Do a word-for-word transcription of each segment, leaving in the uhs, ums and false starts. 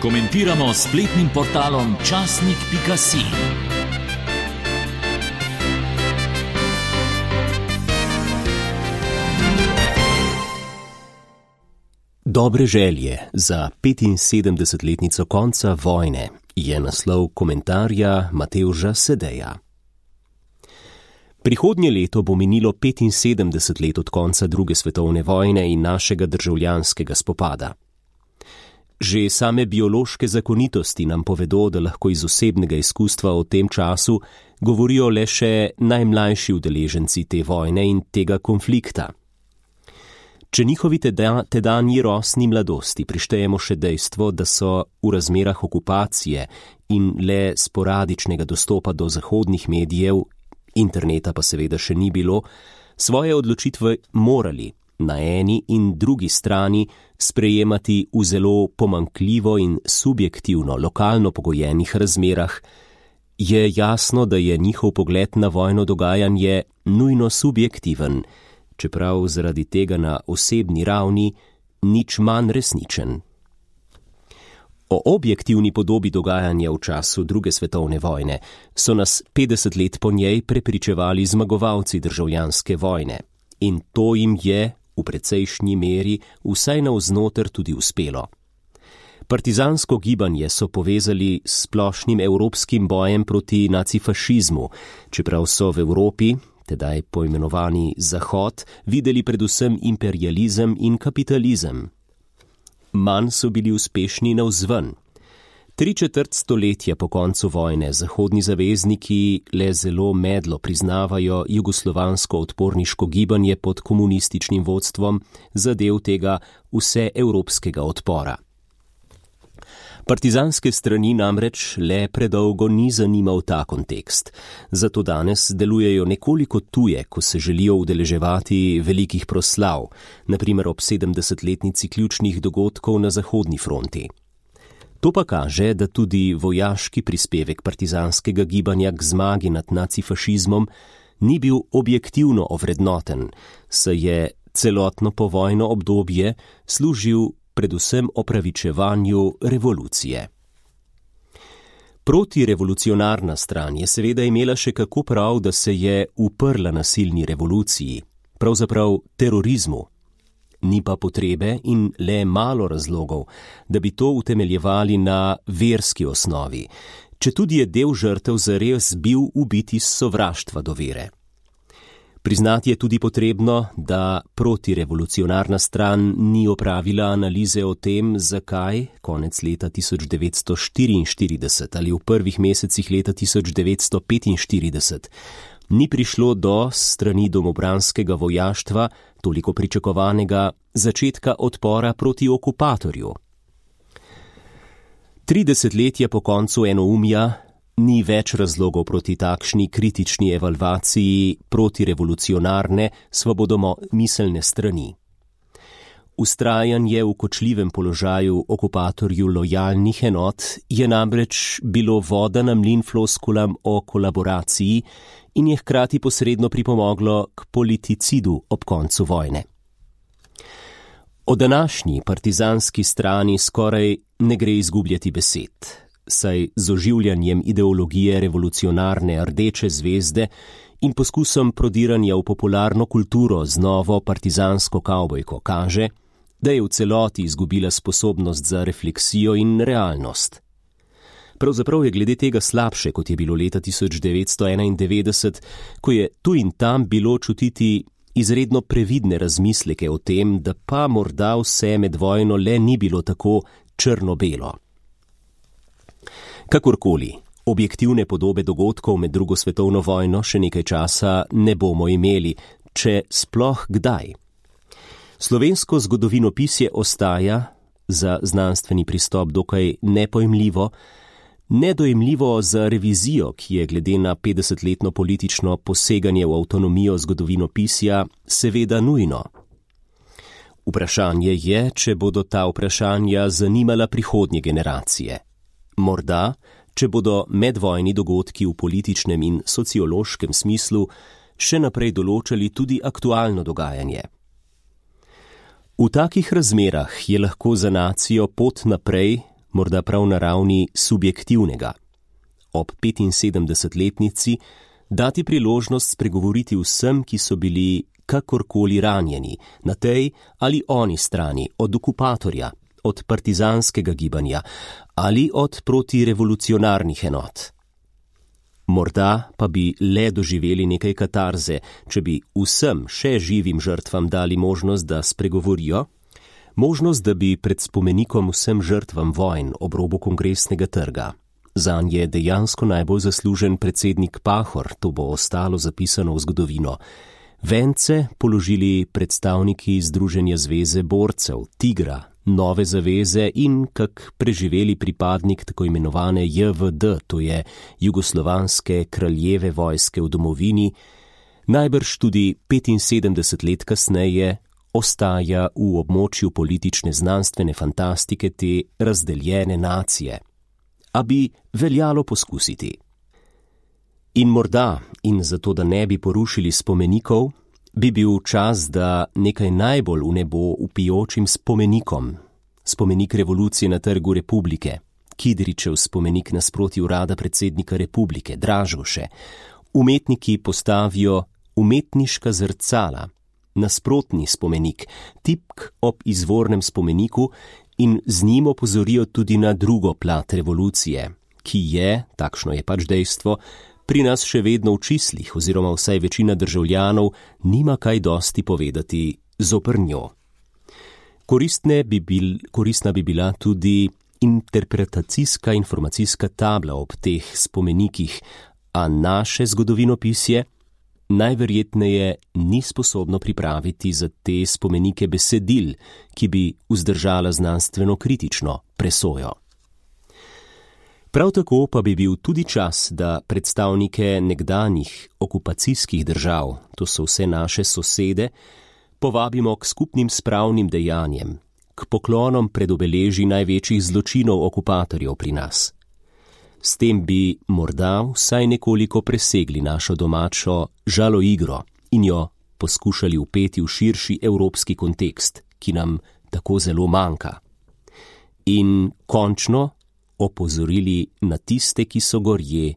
Komentiramo s spletnim portalom časnik pika si. Dobre želje za petinsedemdesetletnico konca vojne je naslov komentarja Matevža Sedeja. Prihodnje leto bo minilo petinsedemdeset let od konca druge svetovne vojne in našega državljanskega spopada. Že same biološke zakonitosti nam povedo, da lahko iz osebnega izkustva o tem času govorijo le še najmlajši udeleženci te vojne in tega konflikta. Če njihovi teda, tedanji rosni mladosti prištejemo še dejstvo, da so v razmerah okupacije in le sporadičnega dostopa do zahodnih medijev, interneta pa seveda še ni bilo, svoje odločitve morali na eni in drugi strani sprejemati v zelo pomanjkljivo in subjektivno lokalno pogojenih razmerah, je jasno, da je njihov pogled na vojno dogajanje nujno subjektiven, čeprav zaradi tega na osebni ravni nič manj resničen. O objektivni podobi dogajanja v času druge svetovne vojne so nas petdeset let po njej prepričevali zmagovalci državljanske vojne in to jim je v precejšnji meri vsaj navznoter tudi uspelo. Partizansko gibanje so povezali s splošnim evropskim bojem proti nacifašizmu, čeprav so v Evropi, tedaj poimenovani Zahod, videli predvsem imperializem in kapitalizem. Manj so bili uspešni navzven. Tri četrt stoletja po koncu vojne zahodni zavezniki le zelo medlo priznavajo jugoslovansko odporniško gibanje pod komunističnim vodstvom za del tega vseevropskega odpora. Partizanske strani namreč le predolgo ni zanimal ta kontekst, zato danes delujejo nekoliko tuje, ko se želijo udeleževati velikih proslav, na primer ob sedemdesetletnici ključnih dogodkov na zahodni fronti. To pa kaže, da tudi vojaški prispevek partizanskega gibanja k zmagi nad nacifašizmom ni bil objektivno ovrednoten, saj je celotno povojno obdobje služil predvsem opravičevanju revolucije. Protirevolucionarna stran je seveda imela še kako prav, da se je uprla nasilni revoluciji, pravzaprav terorizmu. Ni pa potrebe in le malo razlogov, da bi to utemeljevali na verski osnovi, četudi je del žrtev zares bil ubit iz sovraštva do vere. Priznati je tudi potrebno, da protirevolucionarna stran ni opravila analize o tem, zakaj konec leta tisoč devetsto štiriinštirideset ali v prvih mesecih leta tisoč devetsto petinštirideset ni prišlo do strani domobranskega vojaštva toliko pričakovanega začetka odpora proti okupatorju. Tri desetletja po koncu enoumja ni več razlogov proti takšni kritični evalvaciji protirevolucionarne svobodomiselne strani. Ustrajanje v kočljivem položaju okupatorju lojalnih enot je namreč bilo voda na mlin floskulam o kolaboraciji in je hkrati posredno pripomoglo k politicidu ob koncu vojne. O današnji partizanski strani skoraj ne gre izgubljati besed, saj z oživljanjem ideologije revolucionarne Rdeče zvezde in poskusom prodiranja v popularno kulturo z novo partizansko kavbojko kaže, da je v celoti izgubila sposobnost za refleksijo in realnost. Pravzaprav je glede tega slabše, kot je bilo leta tisoč devetsto enaindevetdeset, ko je tu in tam bilo čutiti izredno previdne razmisleke o tem, da pa morda vse med vojno le ni bilo tako črno-belo. Kakorkoli, objektivne podobe dogodkov med drugo svetovno vojno še nekaj časa ne bomo imeli, če sploh kdaj. Slovensko zgodovinopisje ostaja, za znanstveni pristop dokaj nepojmljivo, nedojemljivo za revizijo, ki je glede na petdesetletno politično poseganje v avtonomijo zgodovinopisja seveda nujno. Vprašanje je, če bodo ta vprašanja zanimala prihodnje generacije. Morda, če bodo medvojni dogodki v političnem in sociološkem smislu še naprej določali tudi aktualno dogajanje. V takih razmerah je lahko za nacijo pot naprej morda prav na ravni subjektivnega. Ob petinsedemdesetletnici dati priložnost spregovoriti vsem, ki so bili kakorkoli ranjeni, na tej ali oni strani, od okupatorja, od partizanskega gibanja ali od protirevolucionarnih enot. Morda pa bi le doživeli nekaj katarze, če bi vsem še živim žrtvam dali možnost, da spregovorijo, možnost, da bi pred spomenikom vsem žrtvam vojn ob robu Kongresnega trga. Zanj je dejansko najbolj zaslužen predsednik Pahor, to bo ostalo zapisano v zgodovino. Vence položili predstavniki Združenja zveze borcev, Tigra, Nove zaveze in kak preživeli pripadnik tako imenovane J V D, to je Jugoslovanske kraljeve vojske v domovini, najbrž tudi petinsedemdeset let kasneje ostaja v območju politične znanstvene fantastike te razdeljene nacije. A bi veljalo poskusiti. In morda, in zato da ne bi porušili spomenikov, bi bil čas, da nekaj najbolj v nebo vpijočim spomenikom, spomenik revolucije na Trgu Republike, Kidričev spomenik nasproti urada predsednika Republike, Dražgoše, umetniki postavijo umetniška zrcala, nasprotni spomenik, tipk ob izvornem spomeniku in z njim opozorijo tudi na drugo plat revolucije, ki je, takšno je pač dejstvo, pri nas še vedno v čislih oziroma vsaj večina državljanov nima kaj dosti povedati zoper njo. Koristne bi bil, koristna bi bila tudi interpretacijska informacijska tabla ob teh spomenikih, a naše zgodovinopisje najverjetneje ni sposobno pripraviti za te spomenike besedil, ki bi vzdržala znanstveno kritično presojo. Prav tako pa bi bil tudi čas, da predstavnike nekdanjih okupacijskih držav, to so vse naše sosede, povabimo k skupnim spravnim dejanjem, k poklonom pred obeleži največjih zločinov okupatorjev pri nas. S tem bi morda vsaj nekoliko presegli našo domačo žaloigro in jo poskušali vpeti v širši evropski kontekst, ki nam tako zelo manjka. In končno opozorili na tiste, ki so gorje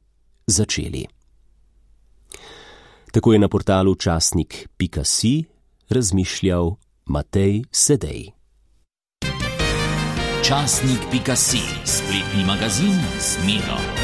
začeli. Tako je na portalu časnik pika si razmišljal Matej Sedej. Časnik pika si, spletni magazin z Miro.